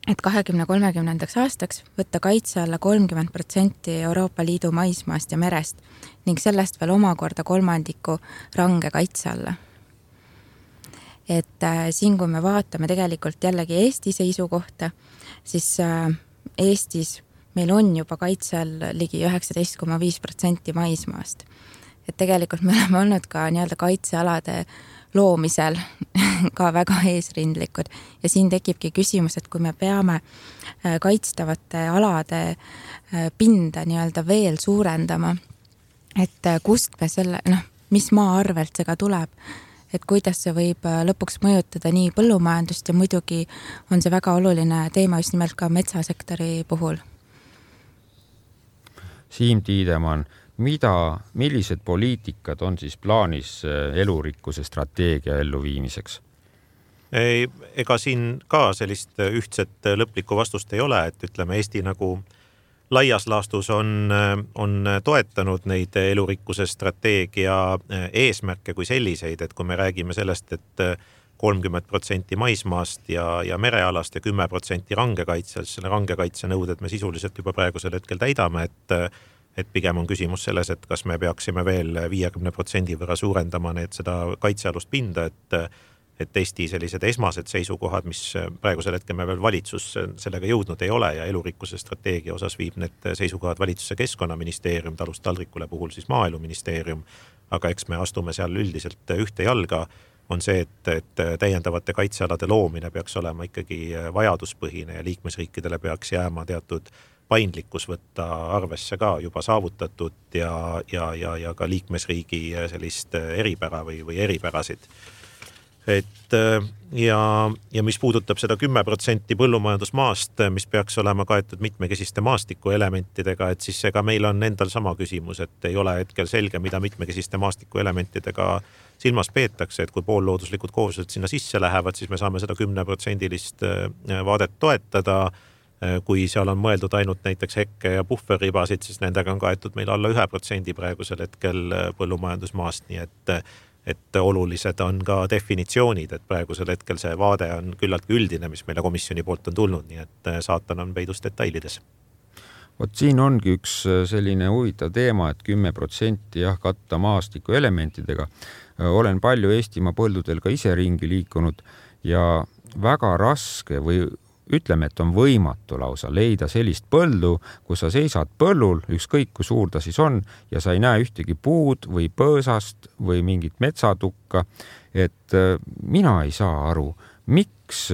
S5: et kahekümne kolmekümnendaks aastaks võtta kaitse alla kolmkümmend protsenti Euroopa Liidu maismaast ja merest ning sellest veel omakorda kolmandiku range kaitse alla. Et äh, siin, kui me vaatame tegelikult jällegi Eesti seisukohta, siis äh, Eestis meil on juba kaitse all ligi üheksateist koma viis protsenti maismaast. Et tegelikult me oleme olnud ka nii-öelda kaitsealade loomisel ka väga eesrindlikud ja siin tekibki küsimus, et kui me peame kaitstavate alade pinda nii-öelda veel suurendama, et kust me selle, noh, mis maa arvelt see ka tuleb, et kuidas see võib lõpuks mõjutada nii põllumajandust ja muidugi on see väga oluline teema just nimelt ka metsasektori puhul.
S3: Siim Tiidemann, mida, millised poliitikad on siis plaanis elurikkuse strateegia elluviimiseks?
S4: Ei, ega siin ka sellist ühtset lõplikku vastust ei ole, et ütleme Eesti nagu laias laastus on, on toetanud neid elurikkuse strateegia eesmärke kui selliseid, et kui me räägime sellest, et kolmkümmend protsenti maismaast ja, ja merealast ja kümme protsenti rangekaitse, selle rangekaitse nõuded me sisuliselt juba praegusel hetkel täidame, et, et pigem on küsimus selles, et kas me peaksime veel viiekümne protsendi võrra suurendama need seda kaitsealust pinda, et, et Eesti sellised esmased seisukohad, mis praegusel hetkel me veel valitsus sellega jõudnud ei ole ja elurikkuse strateegia osas viib need seisukohad valitsuse Keskkonnaministeerium, talust taldrikule puhul siis Maaeluministeerium, aga eks me astume seal üldiselt ühte jalga, on see, et, et täiendavate kaitsealade loomine peaks olema ikkagi vajaduspõhine ja liikmesriikidele peaks jääma teatud paindlikkus võtta arvesse ka juba saavutatud ja, ja, ja, ja ka liikmesriigi sellist eripära või, või eripärasid. Et ja, ja mis puudutab seda kümme protsenti põllumajandusmaast, mis peaks olema kaetud mitmekesiste maastiku elementidega, et siis ega meil on endal sama küsimus, et ei ole hetkel selge, mida mitmekesiste maastiku elementidega silmas peetakse, et kui poollooduslikud kooslused sinna sisse lähevad, siis me saame seda kümne protsendilist vaadet toetada. Kui seal on mõeldud ainult näiteks hekke ja puhverribasid, siis nendega on kaetud meil alla ühe protsendi praegusel hetkel põllumajandusmaast, nii et et olulised on ka definitsioonid, et praegusel hetkel see vaade on küllaltki üldine, mis meile komisjoni poolt on tulnud, nii et saatan on peidus detailides.
S3: Vot siin ongi üks selline huvitav teema, et kümme protsenti jah, katta maastiku elementidega. Olen palju Eestimaa põldudel ka ise ringi liikunud ja väga raske või ütleme, et on võimatu lausa leida sellist põldu, kus sa seisad põllul, ükskõik kui suur ta siis on, ja sa ei näe ühtegi puud või põõsast või mingit metsatukka. Et mina ei saa aru, miks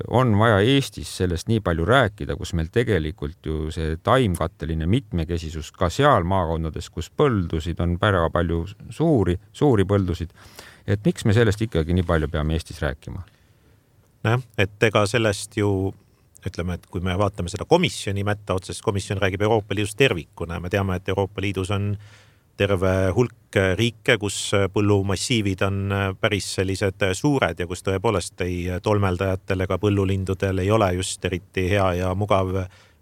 S3: on vaja Eestis sellest nii palju rääkida, kus meil tegelikult ju see taimkatteline mitmekesisus ka seal maakondades, kus põldusid on väga palju suuri, suuri põldusid. Et miks me sellest ikkagi nii palju peame Eestis rääkima?
S4: Et ega sellest ju, ütleme, et kui me vaatame seda komisjoni mätta otsest, komisjon räägib Euroopa Liidus tervikuna. Me teame, et Euroopa Liidus on terve hulk riike, kus põllumassiivid on päris sellised suured ja kus tõepoolest ei tolmeldajatel ega põllulindudel ei ole just eriti hea ja mugav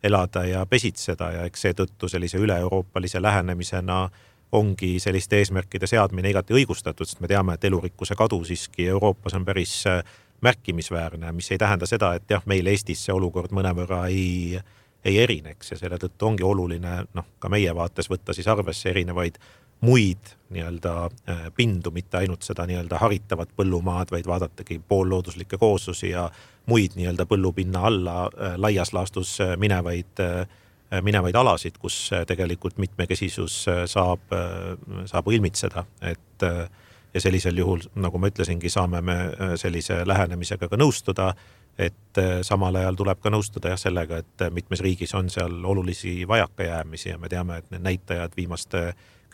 S4: elada ja pesitseda ja eks seetõttu sellise üle-euroopalise lähenemisena ongi selliste eesmärkide seadmine igati õigustatud, sest me teame, et elurikkuse kadu siiski Euroopas on päris märkimisväärne, mis ei tähenda seda, et jah, meil Eestis see olukord mõnevõrra ei, ei erineks ja selle tõttu ongi oluline noh, ka meie vaates võtta siis arvesse erinevaid muid nii-öelda pindu, mitte ainult seda nii-öelda haritavat põllumaad, vaid vaadatagi poollooduslikke kooslusi ja muid nii-öelda põllupinna alla laias laastus minevaid, minevaid alasid, kus tegelikult mitmekesisus saab, saab ilmitseda, et ja sellisel juhul, nagu ma ütlesingi, saame me sellise lähenemisega ka nõustuda, et samal ajal tuleb ka nõustuda jah sellega, et mitmes riigis on seal olulisi vajakajäämisi ja me teame, et need näitajad viimaste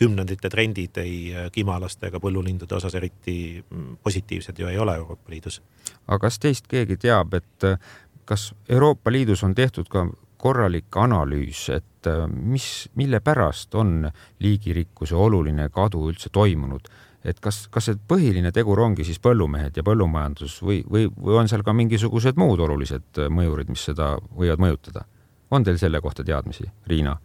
S4: kümnendite trendid ei kimalaste ega põllulindude osas eriti positiivsed ju ei ole Euroopa Liidus.
S3: Aga kas teist keegi teab, et kas Euroopa Liidus on tehtud ka korralik analüüs, et mis, mille pärast on liigirikkuse oluline kadu üldse toimunud? Et kas, kas see põhiline tegur ongi siis põllumehed ja põllumajandus või, või, või on seal ka mingisugused muud olulised mõjurid, mis seda võivad mõjutada? On teil selle kohta teadmisi, Riina?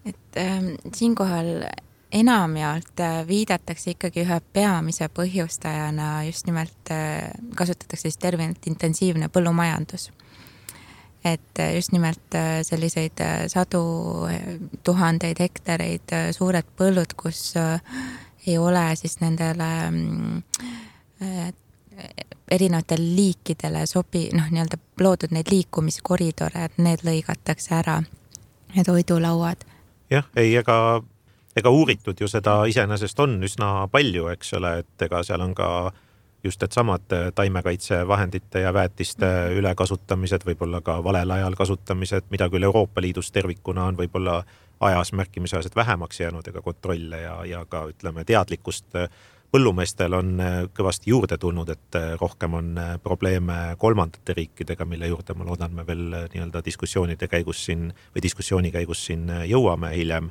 S5: Et äh, siinkohal enamjaolt viidatakse ikkagi ühe peamise põhjustajana just nimelt äh, kasutatakse siis terminit intensiivne põllumajandus. Et just nimelt selliseid sadu tuhandeid hektareid suured põllud, kus äh, ei ole siis nendele äh, erinevatel liikidele sobi, noh, nii-öelda loodud neid liikumiskoridore, et need lõigatakse ära, need toidulauad.
S4: Jah, ei, ega, ega uuritud ju seda iseenesest on üsna palju, eks ole, et ega seal on ka just et samad taimekaitsevahendite ja väetiste ülekasutamised, võib-olla ka valel ajal kasutamised, mida küll Euroopa Liidus tervikuna on võib-olla ajas märkimisväärselt vähemaks jäänud ega kontrolle ja, ja ka ütleme teadlikkust põllumeestel on kõvasti juurde tulnud, et rohkem on probleeme kolmandate riikidega, mille juurde ma loodan me veel nii-öelda diskussioonide käigus siin või diskussiooni käigus siin jõuame hiljem.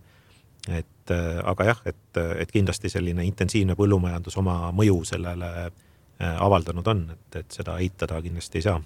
S4: Et, aga jah, et, et kindlasti selline intensiivne põllumajandus oma mõju sellele avaldanud on, et, et seda eitada kindlasti ei saa.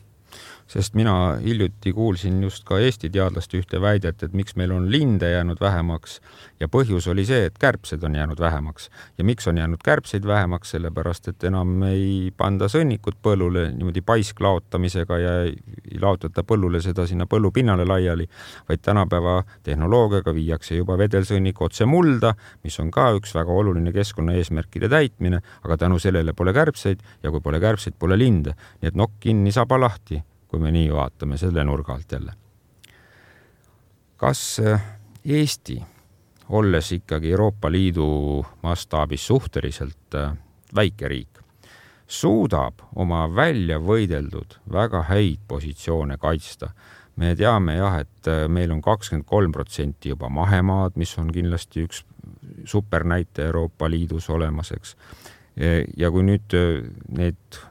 S3: Sest mina hiljuti kuulsin just ka Eesti teadlaste ühte väidet, et miks meil on linde jäänud vähemaks ja põhjus oli see, et kärbsed on jäänud vähemaks. Ja miks on jäänud kärbseid vähemaks, sellepärast, et enam ei panda sõnnikut põllule niimoodi paisk laotamisega ja ei laotata põllule seda sinna põllupinnale laiali, vaid tänapäeva tehnoloogiaga viiakse juba vedelsõnnik otse mulda, mis on ka üks väga oluline keskkonna eesmärkide täitmine, aga tänu sellele pole kärbseid ja kui pole kärbseid, pole linde. Nii et nokk kinni, saba lahti, kui me nii vaatame selle nurga alt jälle. Kas Eesti, olles ikkagi Euroopa Liidu mastaabis suhteliselt väike riik, suudab oma välja võideldud väga häid positsioone kaitsta? Me teame jah, et meil on kakskümmend kolm protsenti juba mahemaad, mis on kindlasti üks supernäite Euroopa Liidus olemaseks. Ja kui nüüd need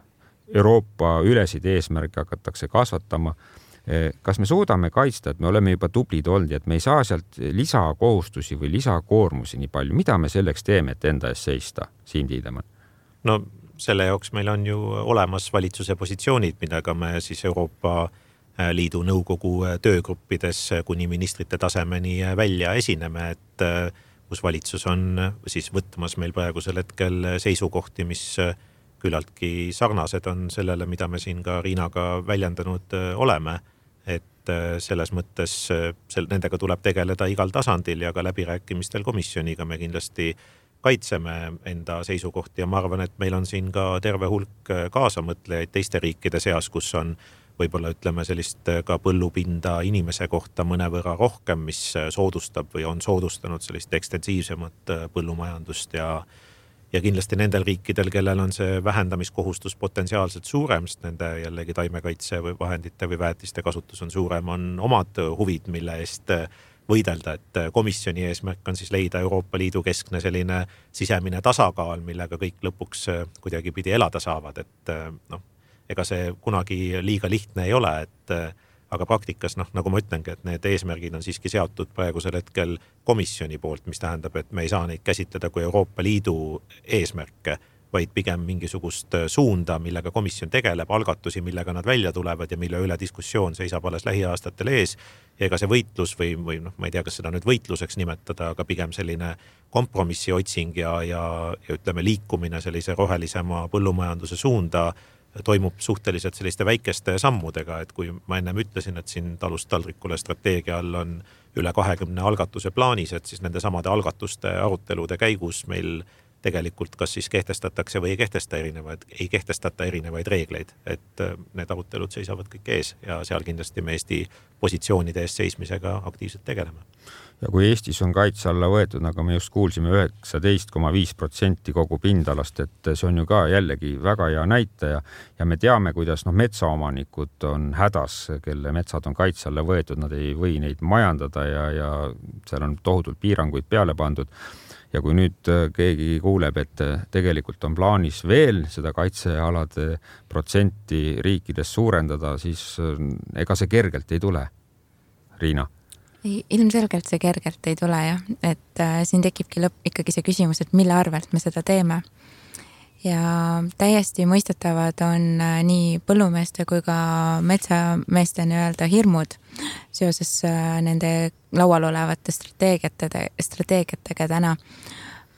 S3: Euroopa ülesid eesmärke hakatakse kasvatama, kas me suudame kaitsta, et me oleme juba tublid olnud, et me ei saa sealt lisakohustusi või lisakoormusi nii palju. Mida me selleks teeme, et enda ees seista, Siim Tiidemann?
S4: No selle jaoks meil on ju olemas valitsuse positsioonid, millega me siis Euroopa Liidu nõukogu töögruppides kuni ministrite tasemeni välja esineme, et kus valitsus on siis võtmas meil praegusel hetkel seisukohti, mis küllaltki sarnased on sellele, mida me siin ka Riinaga väljendanud oleme, et selles mõttes sel, nendega tuleb tegeleda igal tasandil ja ka läbirääkimistel komisjoniga me kindlasti kaitseme enda seisukohti ja ma arvan, et meil on siin ka terve hulk kaasamõtlejaid teiste riikide seas, kus on võib-olla ütleme sellist ka põllupinda inimese kohta mõnevõrra rohkem, mis soodustab või on soodustanud sellist ekstensiivsemat põllumajandust ja Ja kindlasti nendel riikidel, kellel on see vähendamiskohustus potentsiaalselt suurem, sest nende jällegi taimekaitse või vahendite või väetiste kasutus on suurem, on omad huvid, mille eest võidelda, et komisjoni eesmärk on siis leida Euroopa Liidu keskne selline sisemine tasakaal, millega kõik lõpuks kuidagi pidi elada saavad, et noh, ega see kunagi liiga lihtne ei ole, et aga praktikas, noh, nagu ma ütlengi, et need eesmärgid on siiski seatud praegusel hetkel komisjoni poolt, mis tähendab, et me ei saa neid käsitleda kui Euroopa Liidu eesmärke, vaid pigem mingisugust suunda, millega komisjon tegeleb, algatusi, millega nad välja tulevad ja mille üle diskussioon seisab alles lähiaastatel ees. Ja ega see võitlus või, või noh, ma ei tea, kas seda nüüd võitluseks nimetada, aga pigem selline kompromissi otsing ja, ja, ja ütleme liikumine sellise rohelisema põllumajanduse suunda toimub suhteliselt selliste väikeste sammudega, et kui ma ennem ütlesin, et siin talust taldrikule strateegia all on üle kahekümne algatuse plaanis, et siis nende samade algatuste arutelude käigus meil tegelikult kas siis kehtestatakse või ei kehtesta erinevaid, ei kehtestata erinevaid reegleid, et need arutelud seisavad kõik ees ja seal kindlasti me Eesti positsioonide eest seismisega aktiivselt tegeleme.
S3: Ja kui Eestis on kaitse alla võetud, nagu me just kuulsime, üheksateist koma viis protsenti kogu pindalast, et see on ju ka jällegi väga hea näitaja ja me teame, kuidas noh, metsaomanikud on hädas, kelle metsad on kaitse alla võetud, nad ei või neid majandada ja, ja seal on tohutult piiranguid peale pandud. Ja kui nüüd keegi kuuleb, et tegelikult on plaanis veel seda kaitsealade protsenti riikides suurendada, siis ega see kergelt ei tule. Riina?
S5: Ilmselgelt see kergelt ei tule jah, et äh, siin tekibki lõpp ikkagi see küsimus, et mille arvelt me seda teeme. Ja täiesti mõistetavad on äh, nii põllumeeste kui ka metsameeste nii-öelda hirmud seoses äh, nende laual olevate strateegiatega, strateegiatega täna.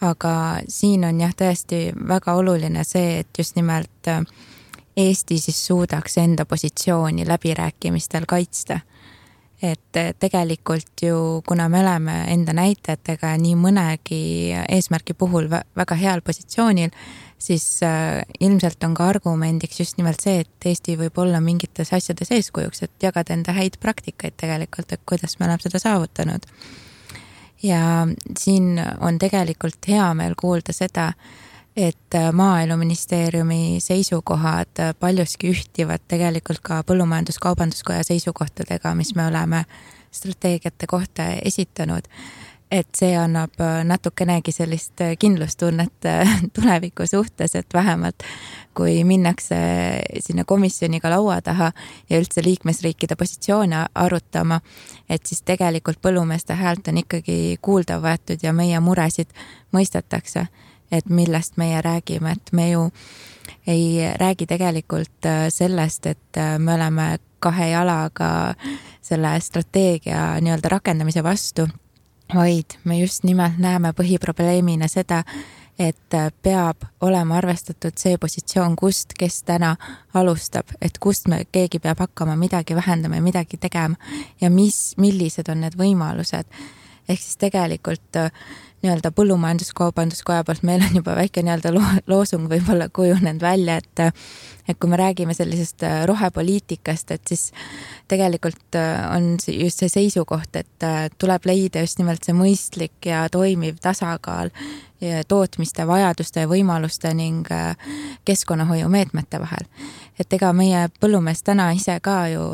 S5: Aga siin on jah tõesti väga oluline see, et just nimelt äh, Eesti siis suudaks enda positsiooni läbirääkimistel kaitsta. Et tegelikult ju, kuna me oleme enda näitajatega nii mõnegi eesmärgi puhul väga heal positsioonil, siis ilmselt on ka argumendiks just nimelt see, et Eesti võib olla mingites asjades eeskujuks, et jagada enda häid praktikaid tegelikult, et kuidas me oleme seda saavutanud. Ja siin on tegelikult hea meel kuulda seda, et Maaeluministeeriumi seisukohad paljuski ühtivad tegelikult ka Põllumajandus-Kaubanduskoja seisukohtadega, mis me oleme strateegiate kohta esitanud. Et see annab natukenegi sellist kindlustunnet tuleviku suhtes, et vähemalt kui minnakse sinna komisjoniga laua taha ja üldse liikmesriikide positsioone arutama, et siis tegelikult põllumeeste häält on ikkagi kuulda võetud ja meie muresid mõistetakse. Et millest meie räägime, et me ju ei räägi tegelikult sellest, et me oleme kahe jalaga selle strateegia nii-öelda rakendamise vastu, vaid me just nimelt näeme põhiprobleemina seda, et peab olema arvestatud see positsioon, kust kes täna alustab, et kust me keegi peab hakkama midagi vähendama ja midagi tegema ja mis, millised on need võimalused. Ehk siis tegelikult nii-öelda Põllumajandus-Kaubanduskoja poolt meil on juba väike nii-öelda loosung võib-olla kujunenud välja, et, et kui me räägime sellisest rohepoliitikast, et siis tegelikult on just see seisukoht, et tuleb leida just nimelt see mõistlik ja toimiv tasakaal ja tootmiste, vajaduste ja võimaluste ning keskkonnahoiu meetmete vahel. Et ega meie põllumees täna ise ka ju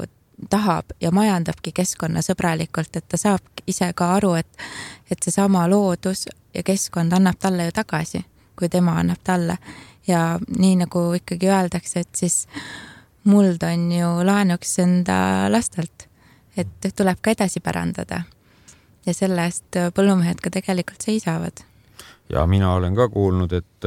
S5: tahab ja majandabki keskkonnasõbralikult, et ta saab ise ka aru, et, et see sama loodus ja keskkond annab talle ju tagasi, kui tema annab talle. Ja nii nagu ikkagi öeldakse, et siis muld on ju laenuks enda lastelt, et tuleb ka edasi pärandada. Ja selle eest põllumehed ka tegelikult seisavad.
S3: Ja mina olen ka kuulnud, et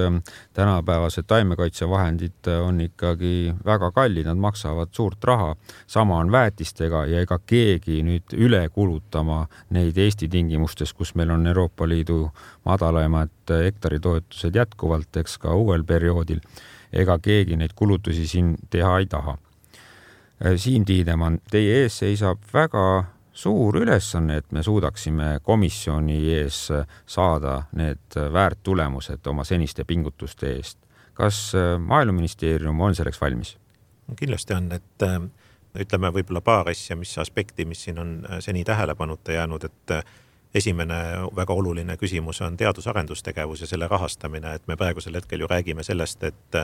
S3: tänapäevased taimekaitsevahendid on ikkagi väga kallid, nad maksavad suurt raha. Sama on väetistega ja ega keegi nüüd üle kulutama neid Eesti tingimustes, kus meil on Euroopa Liidu madalaimad hektaritoetused jätkuvalt, eks ka uuel perioodil. Ega keegi neid kulutusi siin teha ei taha. Siim Tiidemann, teie ees seisab väga suur ülesanne, et me suudaksime komisjoni ees saada need väärt tulemused oma seniste pingutuste eest. Kas Maaeluministeerium on selleks valmis?
S4: Kindlasti on, et ütleme võib-olla paar asja, mis aspekti, mis siin on seni tähelepanuta jäänud, et esimene väga oluline küsimus on teadus-arendustegevus ja selle rahastamine, et me praegusel hetkel ju räägime sellest, et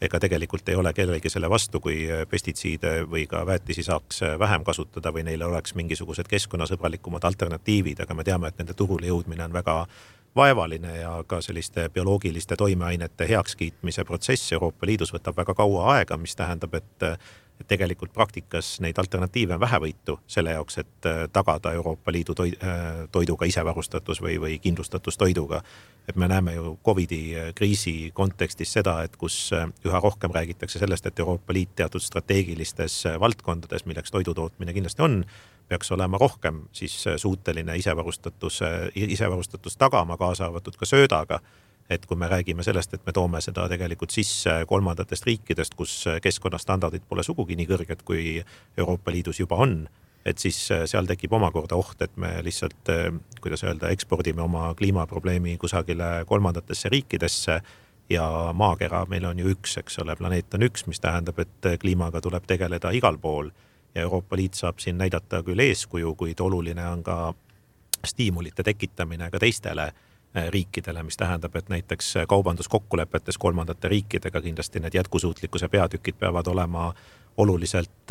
S4: ega tegelikult ei ole kellegi selle vastu, kui pestitsiide või ka väetisi saaks vähem kasutada või neile oleks mingisugused keskkonnasõbralikumad alternatiivid, aga me teame, et nende turule jõudmine on väga vaevaline ja ka selliste bioloogiliste toimeainete heakskiitmise protsess Euroopa Liidus võtab väga kaua aega, mis tähendab, et et tegelikult praktikas neid alternatiive on vähevõitu selle jaoks, et tagada Euroopa Liidu toiduga isevarustatus või, või kindlustatus toiduga. Et me näeme ju Covidi kriisi kontekstis seda, et kus üha rohkem räägitakse sellest, et Euroopa Liit teatud strateegilistes valdkondades, milleks toidutootmine kindlasti on, peaks olema rohkem siis suuteline isevarustatus, isevarustatus tagama, kaasa arvatud ka söödaga. Et kui me räägime sellest, et me toome seda tegelikult sisse kolmandatest riikidest, kus keskkonnastandardid pole sugugi nii kõrged, kui Euroopa Liidus juba on, et siis seal tekib omakorda oht, et me lihtsalt, kuidas öelda, ekspordime oma kliimaprobleemi kusagile kolmandatesse riikidesse ja maakera meil on ju üks, eks ole, planeet on üks, mis tähendab, et kliimaga tuleb tegeleda igal pool ja Euroopa Liit saab siin näidata küll eeskuju, kuid oluline on ka stiimulite tekitamine ka teistele riikidele, mis tähendab, et näiteks kaubanduskokkulepetes kolmandate riikidega kindlasti need jätkusuutlikkuse peatükid peavad olema oluliselt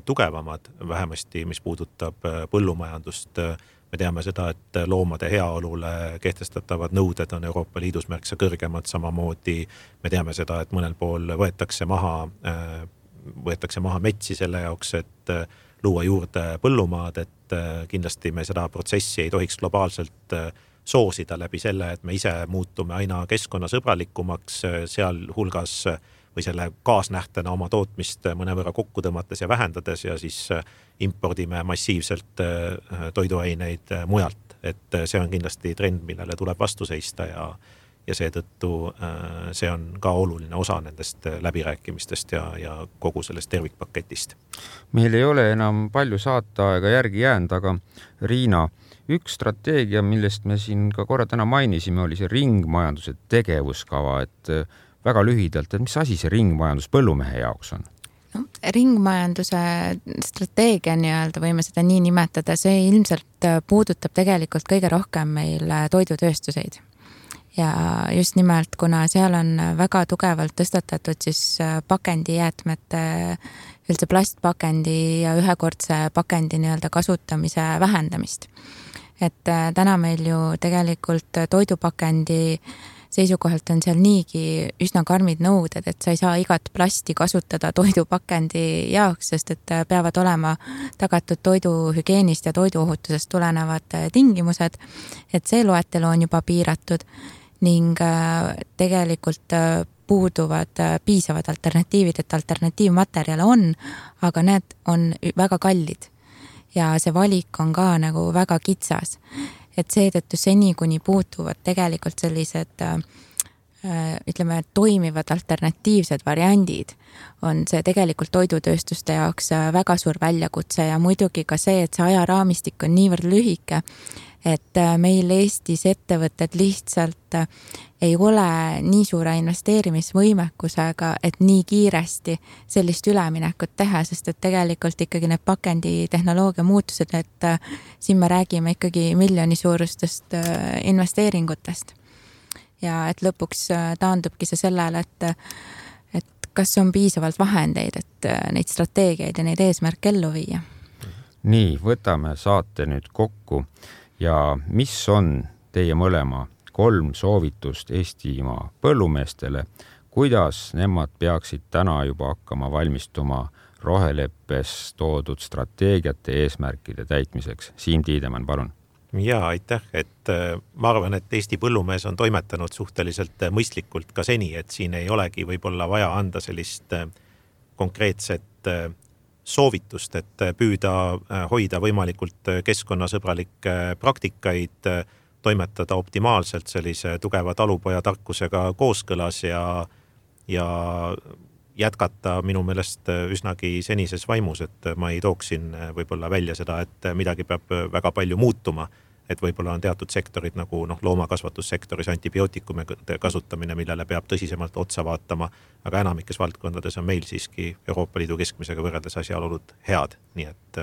S4: tugevamad, vähemasti mis puudutab põllumajandust. Me teame seda, et loomade heaolule kehtestatavad nõuded on Euroopa Liidus märksa kõrgemad, samamoodi me teame seda, et mõnel pool võetakse maha, võetakse maha metsi selle jaoks, et luua juurde põllumaad, et kindlasti me seda protsessi ei tohiks globaalselt soosida läbi selle, et me ise muutume aina keskkonnasõbralikumaks, seal hulgas või selle kaasnähtena oma tootmist mõnevõrra kokku tõmmates ja vähendades ja siis impordime massiivselt toiduaineid mujalt. Et see on kindlasti trend, millele tuleb vastu seista ja, ja seetõttu see on ka oluline osa nendest läbirääkimistest ja, ja kogu sellest tervikpaketist.
S3: Meil ei ole enam palju saataaega järgi jäänud, aga Riina, üks strateegia, millest me siin ka korra täna mainisime, oli see ringmajanduse tegevuskava, et väga lühidalt, et mis asi see ringmajandus põllumehe jaoks on?
S5: No, ringmajanduse strateegia nii-öelda võime seda nii nimetada, see ilmselt puudutab tegelikult kõige rohkem meil toidutööstuseid. Ja just nimelt, kuna seal on väga tugevalt tõstatatud siis pakendijäätmete, üldse plastpakendi ja ühekordse pakendi nii-öelda kasutamise vähendamist. Et täna meil ju tegelikult toidupakendi seisukohalt on seal niigi üsna karmid nõuded, et sa ei saa igat plasti kasutada toidupakendi jaoks, sest et peavad olema tagatud toiduhügienist ja toiduohutusest tulenevad tingimused, et see loetelu on juba piiratud ning tegelikult puuduvad piisavad alternatiivid, et alternatiivmaterjale on, aga need on väga kallid ja see valik on ka nagu väga kitsas. Et seetõttu seni, kuni puutuvad tegelikult sellised ütleme, toimivad alternatiivsed variandid, on see tegelikult toidutööstuste jaoks väga suur väljakutse ja muidugi ka see, et see ajaraamistik on niivõrd lühike, et meil Eestis ettevõtted lihtsalt ei ole nii suure investeerimisvõimekusega, et nii kiiresti sellist üleminekut teha, sest et tegelikult ikkagi need pakenditehnoloogia muutused, et siin me räägime ikkagi miljoni suurustest investeeringutest. Ja et lõpuks taandubki see sellele, et, et kas on piisavalt vahendeid, et neid strateegiaid ja neid eesmärke ellu viia.
S3: Nii, võtame saate nüüd kokku ja mis on teie mõlema kolm soovitust Eestimaa põllumeestele, kuidas nemad peaksid täna juba hakkama valmistuma roheleppes toodud strateegiate eesmärkide täitmiseks? Siim Tiidemann, palun.
S4: Ja, aitäh, et ma arvan, et Eesti põllumees on toimetanud suhteliselt mõistlikult ka seni, et siin ei olegi võib-olla vaja anda sellist konkreetset soovitust, et püüda hoida võimalikult keskkonnasõbralikke praktikaid, toimetada optimaalselt sellise tugeva talupoja tarkusega kooskõlas ja, ja jätkata minu meelest üsnagi senises vaimus, et ma ei tooksin võib-olla välja seda, et midagi peab väga palju muutuma, et võib-olla on teatud sektorid nagu noh, loomakasvatussektoris antibiootikumide kasutamine, millele peab tõsisemalt otsa vaatama, aga enamikes valdkondades on meil siiski Euroopa Liidu keskmisega võrreldes asjaolud head, nii et,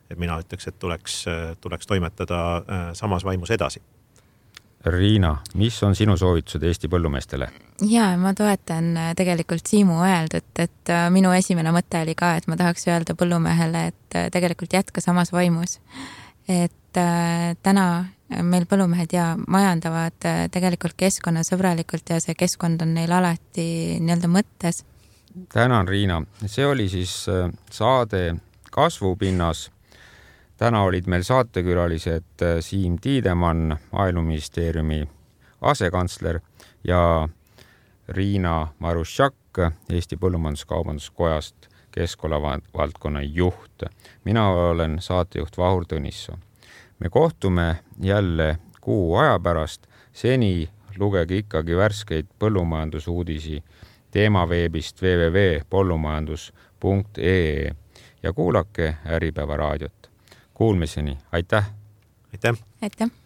S4: et mina ütleks, et tuleks, tuleks toimetada samas vaimus edasi.
S3: Riina, mis on sinu soovitused Eesti põllumeestele?
S5: Ja, ma toetan tegelikult Siimu öeldud, et minu esimene mõte oli ka, et ma tahaks öelda põllumehele, et tegelikult jätka samas vaimus. Et täna meil põllumehed ja majandavad tegelikult keskkonnasõbralikult ja see keskkond on neil alati nii-öelda mõttes.
S3: Tänan, Riina. See oli siis saade Kasvupinnas. Täna olid meil saatekülalised Siim Tiidemann, Maaeluministeeriumi asekantsler ja Riina Marušak Eesti Põllumajandus-Kaubanduskojast keskkonnavaldkonna juht. Mina olen saatejuht Vahur Tõnissoo. Me kohtume jälle kuu aja pärast. Seni lugege ikkagi värskeid põllumajandusuudisi teemaveebist w w w punkt põllumajandus punkt e e ja kuulake Äripäeva raadiot. Kuulmiseni, aitäh!
S4: Aitäh!
S5: Aitäh!